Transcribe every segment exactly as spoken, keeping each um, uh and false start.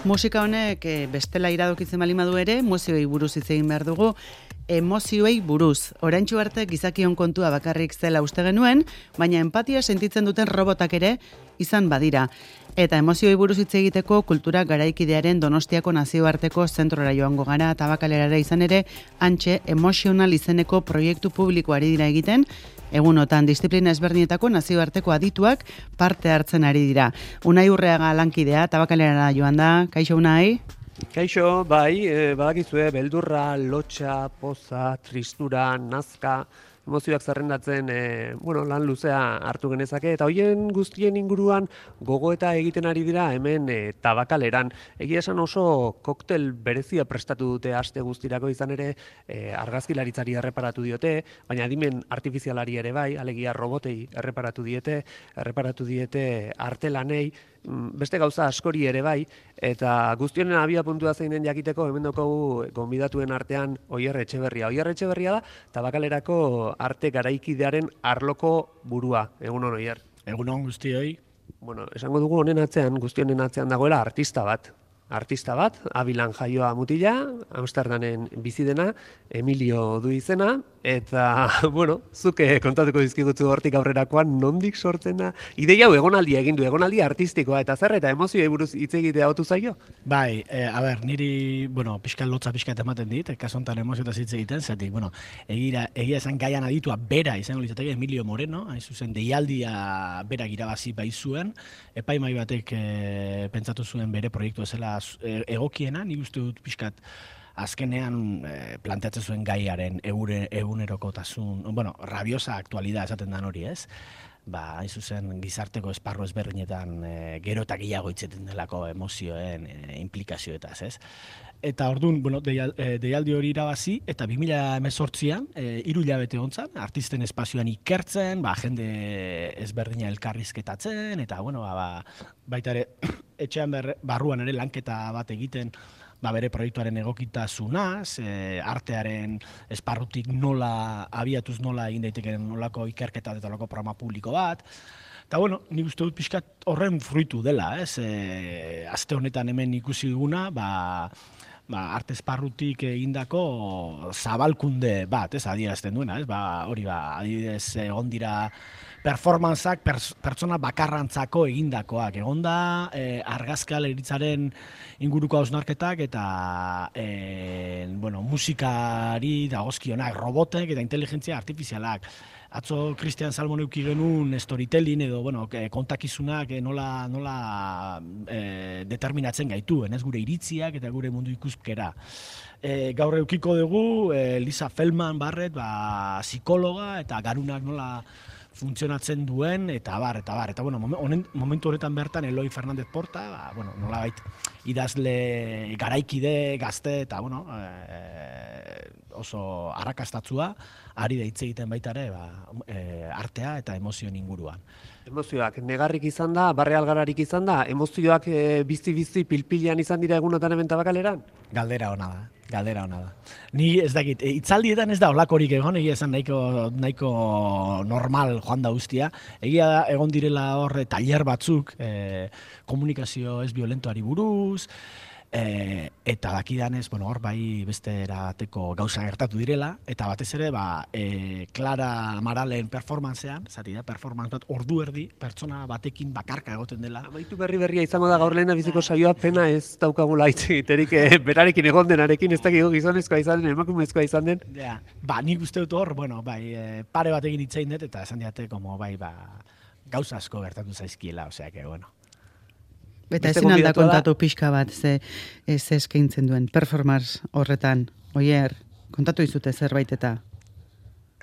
Musika honek e, bestela iradokitzen bali madu ere, emozioei buruz hitz egin behar dugu, emozioei buruz. Oraintsu arte gizakion kontua bakarrik zela uste genuen, baina empatia sentitzen duten robotak ere izan badira. Eta emozioei buruz hitz egiteko kultura garaikidearen Donostiako nazioarteko zentrora joango gara, Tabakalerara izan ere, antxe Emotional izeneko proiektu publikoari dira egiten, egunotan disiplina ezberdinetako nazioarteko adituak parte hartzen ari dira. Unai Urreaga lankidea, Tabakalerara joan da, kaixo Unai? Kaixo, bai, e, badakizue, beldurra, lotxa, poza, tristura, nazka, emozioak zerrendatzen e, bueno, lan luzea hartu genezake, eta hoien guztien inguruan gogoeta egiten ari dira hemen e, Tabakaleran. Egia esan oso koktel berezia prestatu dute aste guztirako, izan ere e, argazkilaritzari erreparatu diote, baina adimen artifizialari ere bai, alegia robotei erreparatu diete, erreparatu diete artelanei, beste gauza askori ere bai, eta guztionen abia puntua zeinen jakiteko hemen daukagu gonbidatuen artean Oier Etxeberria. Oier Etxeberria da Tabakalerako arte garaikidearen arloko burua. Egunon, Oier. Egunon guztioi. Bueno, esango dugu honen atzean, guztionen atzean dagoela artista bat. Artista bat, Abilan jaioa mutila, Amsterdamen bizi dena, Emilio du izena, eta, bueno, zuke kontatuko dizkigutzu hortik aurrerakoan nondik sortzen da. Ideia hau egonaldia egin du, egonaldia artistikoa, eta zer eta emozioei buruz hitz egitea otu zaio? Bai, e, a ber, niri, bueno, pixka lotza pixka ematen dit, kasu honetan emoziotaz hitz egiten, zatik, bueno, egira, egia esan gaian aditua bera izango litzateke Emilio Moreno, hain zuzen deialdia berak irabazi baizuen, epaimai batek e, pentsatu zuen bere proiektu ezela egokiena, nik uste dut pixkat azkenean e, planteatzen zuen gaiaren eure, egunerokotasun, bueno, rabiosa aktualidad esaten dan hori, ez? Ba, hain zuzen gizarteko esparru ezberdinetan e, gero eta gehiago itzeten delako emozioen e, implikazioetaz, ez? Eta orduan, bueno, deial, e, deialdi hori irabazi, eta bi mila hemezortzian, e, hiru hilabete hontzan, artisten espazioan ikertzen, ba, jende ezberdina elkarrizketatzen, eta, bueno, ba, baita ere, etxean berre, barruan ere lanketa bat egiten, ba, bere proiektuaren egokitasunaz, e, artearen esparrutik nola, abiatuz nola egin daiteken nolako ikerketa eta nolako programa publiko bat. Eta, bueno, nik uste dut pixkat horren fruitu dela, ez? E, azte honetan hemen ikusi duguna, ba, ba, arte esparrutik egindako zabalkunde bat, ez, adierazten duena, ez, ba, hori ba, adibidez egon dira performantzak pertsona bakarrantzako egindakoak, egon da e, argazkalaritzaren inguruko hausnarketak eta e, bueno, musikari dagozkionak, robotek eta inteligentzia artifizialak. Atzo Christian Salmon euki genuen storytelling edo bueno, kontakizunak nola, nola e, determinatzen gaituen, ez gure iritziak eta gure mundu ikuskera. E, gaur eukiko dugu e, Lisa Feldman Barrett, ba, psikologa eta garunak nola funtzionatzen duen, eta bar, eta bar. Eta bueno, momen, momentu horretan bertan Eloi Fernandez Porta, ba, bueno, nolabait idazle garaikide, gazte, eta bueno, e, oso arrakastatzua, ari da hitz egiten baita ere, ba, e, artea eta emozioen inguruan. Emozioak negarrik izan da, barre algararik izan da, emozioak e, bizi-bizi pilpilean izan dira egunotan hemen Tabakaleran? Galdera ona da, galdera ona da. Ni ez dakit, hitzaldietan ez da holakorik egon, egia esan nahiko, nahiko normal joan da guztia. Egia da, egon direla horre tailer batzuk, e, komunikazio ez violentoari buruz, E, eta dakidanez, bueno, hor bai beste erateko gauza gertatu direla, eta batez ere, ba, e, Clara Amaralen performancean, zati da, performance bat ordu erdi, pertsona batekin bakarka egoten dela. Amaitu berri berria izango da gaur lehena biziko saioa, pena ez daukagula hitz egiterik, e, berarekin egon denarekin, ez dakigo gizonezkoa izan den, emakumezkoa izan den. Ja, ba, nik uste dut hor, bueno, bai, e, pare batekin hitzein dut, eta esan diate, como, bai, ba, gauza asko gertatu zaizkiela, osea, que, bueno. Eta ezin alda kontatu pixka bat, ze, ez eskaintzen duen performance horretan. Oier, kontatu izute zerbait eta.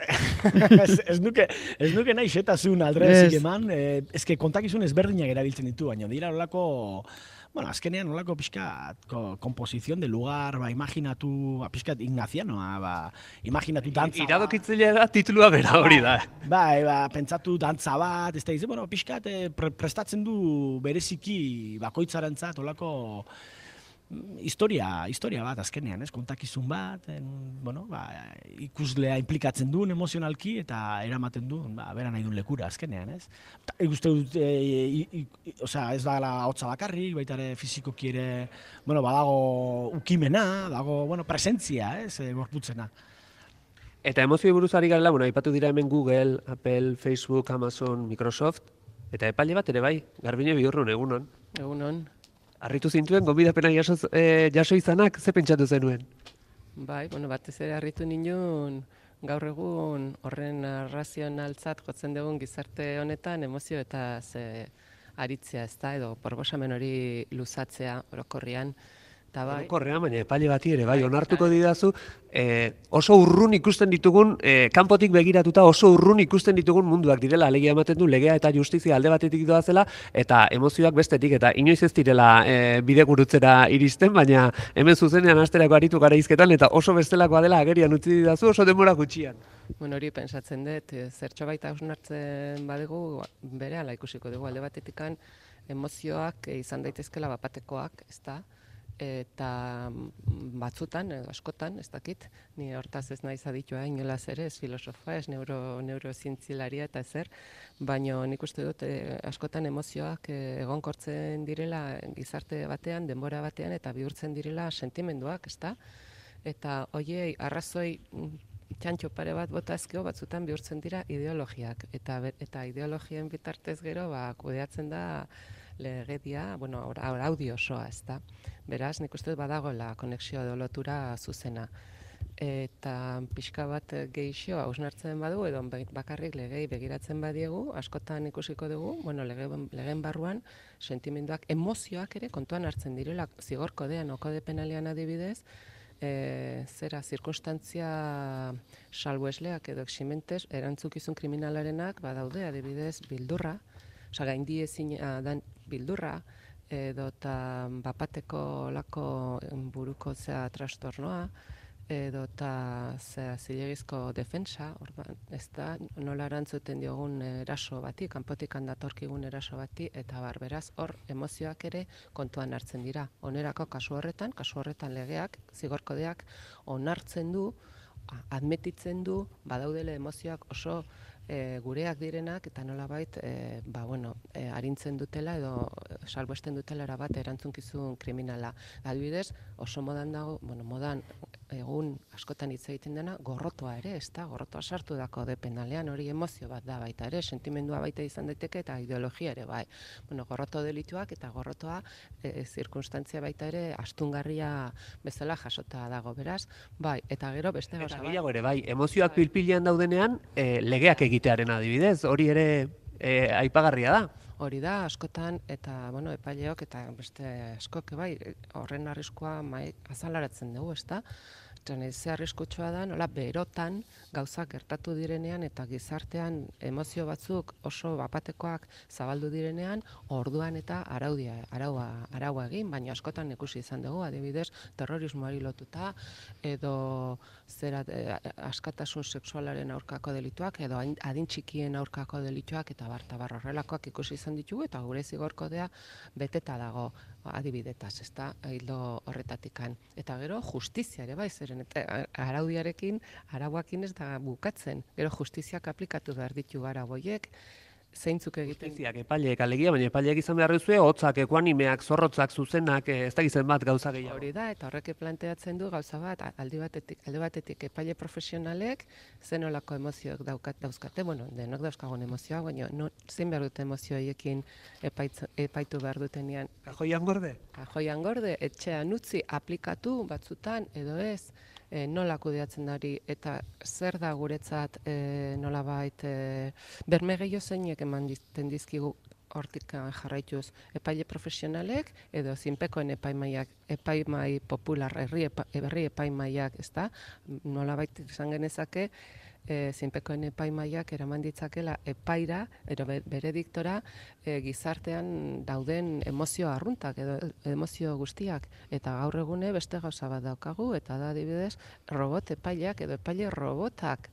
ez, ez, nuke, ez nuke nahi xetazun aldrezik eman, eh, ezke kontakizun ezberdinak erabiltzen ditu, baina dira olako, bueno, azkenean olako pixkat komposizion de lugar, ba, imaginatu, ba, pixkat ignazianoa, ba, imaginatu dantza. Iradokitzilea da titulua bera hori da. Bai, ba, pentsatu dantza bat, ez da, izan, bueno, pixkat pre prestatzen du bereziki bakoitzarentzat olako historia, historia bat azkenean, ez? Kontakizun bat, en, bueno, ba, ikuslea implikatzen duen emozionalki eta eramaten du, ba, bera nahi duen lekura azkenean, ez? Ta, ikuste dut, e, e, e, osea, ez da hotza bakarrik, baita ere fizikoki ere, bueno, badago ukimena, dago, bueno, presentzia, ez? E, gorputzena. Eta emozioi buruz ari garela, bueno, aipatu dira hemen Google, Apple, Facebook, Amazon, Microsoft, eta epaile bat ere bai, Garbine Bihurrun, egunon. Egunon. Arritu zintuen, gonbidapena jaso, eh, jaso izanak, ze pentsatu zenuen? Bai, bueno, batez ere harritu nindun, gaur egun horren razionaltzat jotzen dugun gizarte honetan emozio eta ze aritzea, ez da, edo proposamen hori luzatzea orokorrian. Ta bai. Orokorrean, baina epaile bati ere, bai, onartuko didazu, eh, oso urrun ikusten ditugun, eh, kanpotik begiratuta oso urrun ikusten ditugun munduak direla, alegia ematen du legea eta justizia alde batetik doazela, eta emozioak bestetik, eta inoiz ez direla eh, bide gurutzera iristen, baina hemen zuzenean asterako aritu gara izketan, eta oso bestelakoa dela agerian utzi didazu oso denbora gutxian. Bueno, hori pentsatzen dut, zertxo baita hausnartzen badugu, berehala ikusiko dugu alde batetikan emozioak izan daitezkela bapatekoak, ez da? Eta batzutan, edo askotan, ez dakit, ni hortaz ez naiz aditua inolaz ere, ez filosofa, ez neuro, neurozientzilaria eta ezer, baina nik uste dut eh, askotan emozioak eh, egonkortzen direla gizarte batean, denbora batean, eta bihurtzen direla sentimenduak, ez da? Eta hoiei arrazoi txantxo pare bat bota ezkeo batzutan bihurtzen dira ideologiak, eta, eta ideologien bitartez gero ba, kudeatzen da legedia, bueno, araudio osoa, ez da. Beraz, nik uste badagoela konexioa edo lotura zuzena. Eta pixka bat gehixo hausnartzen badu, edo bakarrik legei begiratzen badiegu, askotan ikusiko dugu, bueno, lege, legeen barruan, sentimenduak, emozioak ere kontuan hartzen direla, zigor kodean, kode penalean adibidez, e, zera, zirkunstantzia salbuesleak edo eximentes, erantzukizun kriminalarenak, badaude, adibidez, bildurra, osa, gaindi ezin dan bildurra, edo eta bapateko lako buruko zea trastornoa, edo eta zea zilegizko defensa, orduan, ez da, nola erantzuten diogun eraso bati, kanpotik handatorkigun eraso bati, eta barberaz hor emozioak ere kontuan hartzen dira. Onerako kasu horretan, kasu horretan legeak, zigorkodeak onartzen du, admetitzen du, badaudele emozioak oso E, gureak direnak eta nolabait e, ba, bueno, e, arintzen dutela edo salbuesten dutela erabat erantzunkizun kriminala. Adibidez, oso modan dago, bueno, modan egun askotan hitz egiten dena, gorrotoa ere, ez da, gorrotoa sartu dako de penalean, hori emozio bat da baita ere, sentimendua baita izan daiteke eta ideologia ere bai. Bueno, gorroto delituak eta gorrotoa e, zirkunstantzia baita ere astungarria bezala jasota dago, beraz, bai, eta gero beste gauza bat. Eta gehiago ere, bai, emozioak pilpilean daudenean, e, legeak egitearen adibidez, hori ere e, aipagarria da. Hori da, askotan, eta, bueno, epaileok eta beste askok, bai, horren arriskua mai azalaratzen dugu, ez da? Ze arriskutsua da, nola berotan gauzak gertatu direnean eta gizartean emozio batzuk oso bapatekoak zabaldu direnean, orduan eta araudia, araua, araua egin, baina askotan ikusi izan dugu, adibidez, terrorismoari lotuta, edo zera eh, askatasun sexualaren aurkako delituak, edo adin txikien aurkako delituak, eta bar, eta bar horrelakoak ikusi izan ditugu, eta gure zigorkodea beteta dago adibidetaz, ez da, hildo horretatikan. Eta gero, justizia ere bai, zeren, eta araudiarekin, arauakin ez da bukatzen. Gero, justiziak aplikatu behar ditu arau horiek, zeintzuk egiten. Justiziak, epaileek alegia, baina epaileek izan behar duzue, hotzak, ekuanimeak, zorrotzak, zuzenak, ez da gizien bat gauza gehiago. Hori da, eta horrek planteatzen du gauza bat, aldi batetik, alde batetik epaile profesionalek, zenolako emozioak daukat, dauzkate, bueno, denok dauzkagun emozioak, baina no, zein behar dute emozio horiekin epaitu behar dutenean. Kajoian gorde? Kajoian gorde, etxean utzi, aplikatu batzutan, edo ez, E, nola kudeatzen dari eta zer da guretzat e, nolabait e, berme gehiago zeinek eman dizkigu hortik jarraituz epaile profesionalek edo zinpekoen epaimaiak, epaimai popular, herri, epa, herri epaimaiak, ez da, nolabait izan genezake, E, zinpekoen epaimaiak eraman ditzakela epaira, ero bere diktora, e, gizartean dauden emozio arruntak edo emozio guztiak. Eta gaur egune beste gauza bat daukagu, eta da adibidez robot epaileak edo epaile robotak.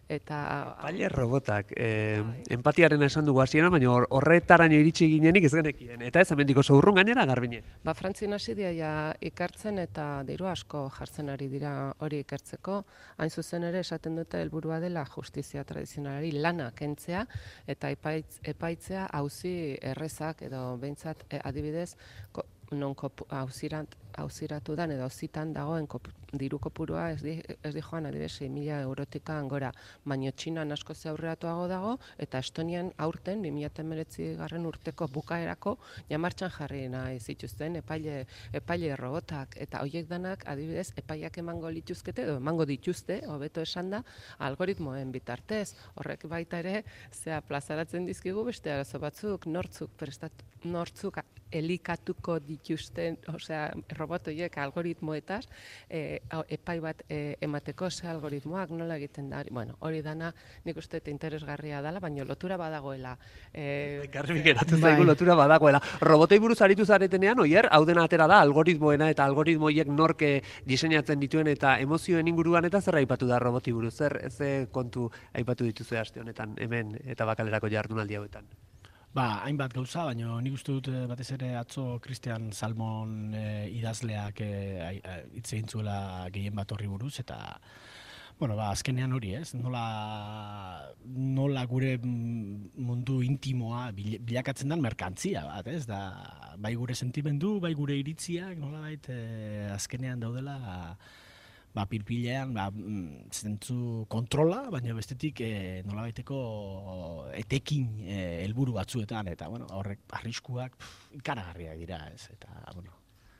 Eta Epaile robotak, eh, empatiaren esan dugu hasieran, baina hor- horretaraino iritsi ginenik ez genekien. Eta ez hemendik oso urrun gainera, Garbine. Ba, Frantzin hasi dira ja ikertzen eta diru asko jartzen ari dira hori ikertzeko. Hain zuzen ere esaten dute helburua dela justizia tradizionalari lana kentzea eta epaitz, epaitzea auzi errezak edo behintzat e, adibidez ko, non kopu, auzirat, auziratu dan edo auzitan dagoen kopu, diru kopurua ez di, ez di joan adibidez sei mila eurotika gora, baino Txinan asko ze aurreratuago dago eta Estonian aurten bi mila hemeretzi garren urteko bukaerako ja martxan jarri nahi zituzten epaile, epaile robotak eta hoiek danak adibidez epaiak emango lituzkete edo emango dituzte, hobeto esan da, algoritmoen bitartez. Horrek baita ere zea plazaratzen dizkigu beste arazo batzuk, nortzuk prestat, nortzuk elikatuko dituzten, osea, robot horiek algoritmoetaz, e, epai bat e, emateko ze algoritmoak nola egiten da. Bueno, hori dana nik uste dut interesgarria dela, baina lotura badagoela. E, Garbi geratu zaigu lotura badagoela. Robotei buruz aritu zaretenean, oier, hau dena atera da algoritmoena eta algoritmoiek norke diseinatzen dituen eta emozioen inguruan eta zer aipatu da roboti buruz, zer ze kontu aipatu dituzue aste honetan hemen eta bakalerako jardunaldi hauetan. Ba, hainbat gauza, baina nik uste dut eh, batez ere atzo Christian Salmon eh, idazleak eh, hitz egin zuela gehien bat horri buruz, eta bueno, ba, azkenean hori, ez? Nola, nola gure mundu intimoa bil- bilakatzen den merkantzia bat, ez? Da, bai gure sentimendu, bai gure iritziak, nolabait eh, azkenean daudela ba, pirpilean, ba, zentzu kontrola, baina bestetik e, nolabaiteko etekin helburu e, batzuetan, eta bueno, horrek arriskuak pff, ikaragarriak dira, ez, eta bueno.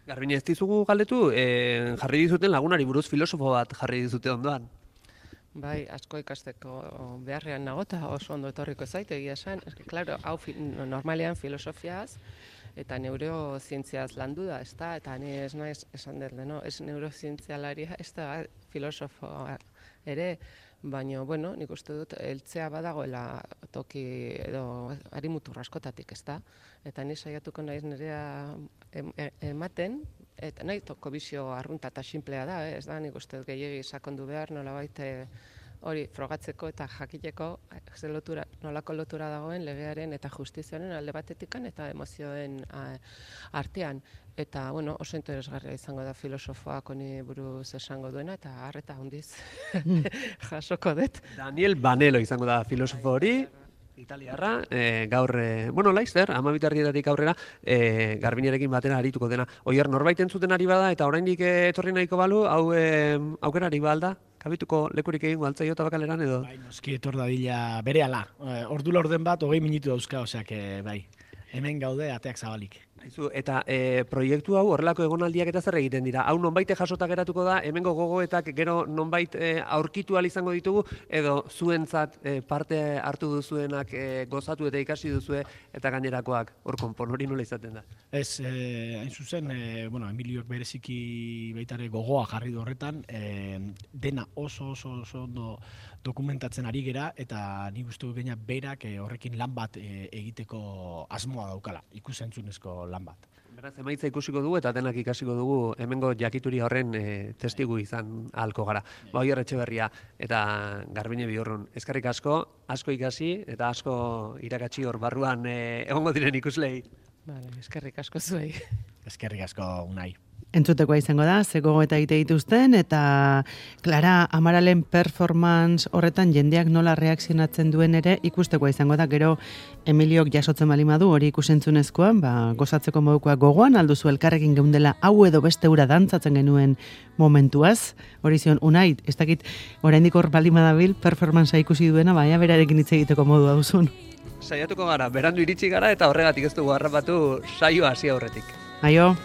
Garbine, ez dizugu galdetu, e, jarri dizuten lagunari buruz filosofo bat jarri dizute ondoan. Bai, asko ikasteko beharrean nago eta oso ondo etorriko zait, egia esan. Eske, claro, hau fi, normalean filosofiaz eta neurozientziaz landu da, ez da, eta ni ez naiz esan dut, no? Ez neurozientzialaria, ez da filosofoa ere, baina, bueno, nik uste dut, heltzea badagoela toki edo harimutur askotatik, ez da, eta ni saiatuko naiz nirea ematen, eta nahi toko bizio arrunta eta sinplea da, eh? Ez da, nik uste dut gehiegi sakondu behar, nolabait hori frogatzeko eta jakiteko ze lotura, nolako lotura dagoen legearen eta justiziaren alde batetikan eta emozioen a, artean. Eta, bueno, oso interesgarria izango da filosofoak honi buruz esango duena, eta harreta handiz jasoko dut. Daniel Banelo izango da filosofo hori, italiarra, e, gaur, e, bueno, laizzer, amabitarrietatik aurrera, e, Garbinerekin batera arituko dena. Oier, norbait entzuten ari bada, eta oraindik etorri nahiko balu, hau e, aukerari balda? Kabituko lekurik egingo altzaio eta bakaleran edo? Bai, noski etor dadila berehala. Ordu laurden bat, hogei minutu dauzka, oseak, bai, hemen gaude ateak zabalik. Aizu, eta e, proiektu hau horrelako egonaldiak eta zer egiten dira? Hau nonbait jasota geratuko da, hemengo gogoetak gero nonbait e, aurkitu ahal izango ditugu, edo zuentzat e, parte hartu duzuenak e, gozatu eta ikasi duzue eta gainerakoak hor konpon hori nola izaten da? Ez, eh, hain zuzen, eh, bueno, Emiliok bereziki baitare gogoa jarri du horretan, eh, dena oso oso oso ondo dokumentatzen ari gera, eta nik uste dut gaina berak eh, horrekin lan bat eh, egiteko asmoa daukala, ikusentzunezko lan bat. Beraz, emaitza ikusiko dugu eta denak ikasiko dugu hemengo jakituri horren e, testigu izan ahalko gara. Ba, Oier Etxeberria eta Garbine Biorrun, eskerrik asko, asko ikasi eta asko irakatsi hor barruan e, egongo diren ikuslei. Vale, eskerrik asko zuei. Eskerrik asko, Unai. Entzutekoa izango da, ze gogoeta egite dituzten, eta Clara Amaralen performance horretan jendeak nola reakzionatzen duen ere ikustekoa izango da, gero Emiliok jasotzen balimadu hori ikusentzunezkoan, ba, gozatzeko modukoa gogoan, alduzu elkarrekin geundela hau edo beste ura dantzatzen genuen momentuaz, hori zion, Unai, ez dakit oraindik hor balimadabil performancea ikusi duena, baina berarekin hitz egiteko modua duzun. Saiatuko gara, berandu iritsi gara eta horregatik ez dugu harrapatu saioa hasi aurretik. Aio!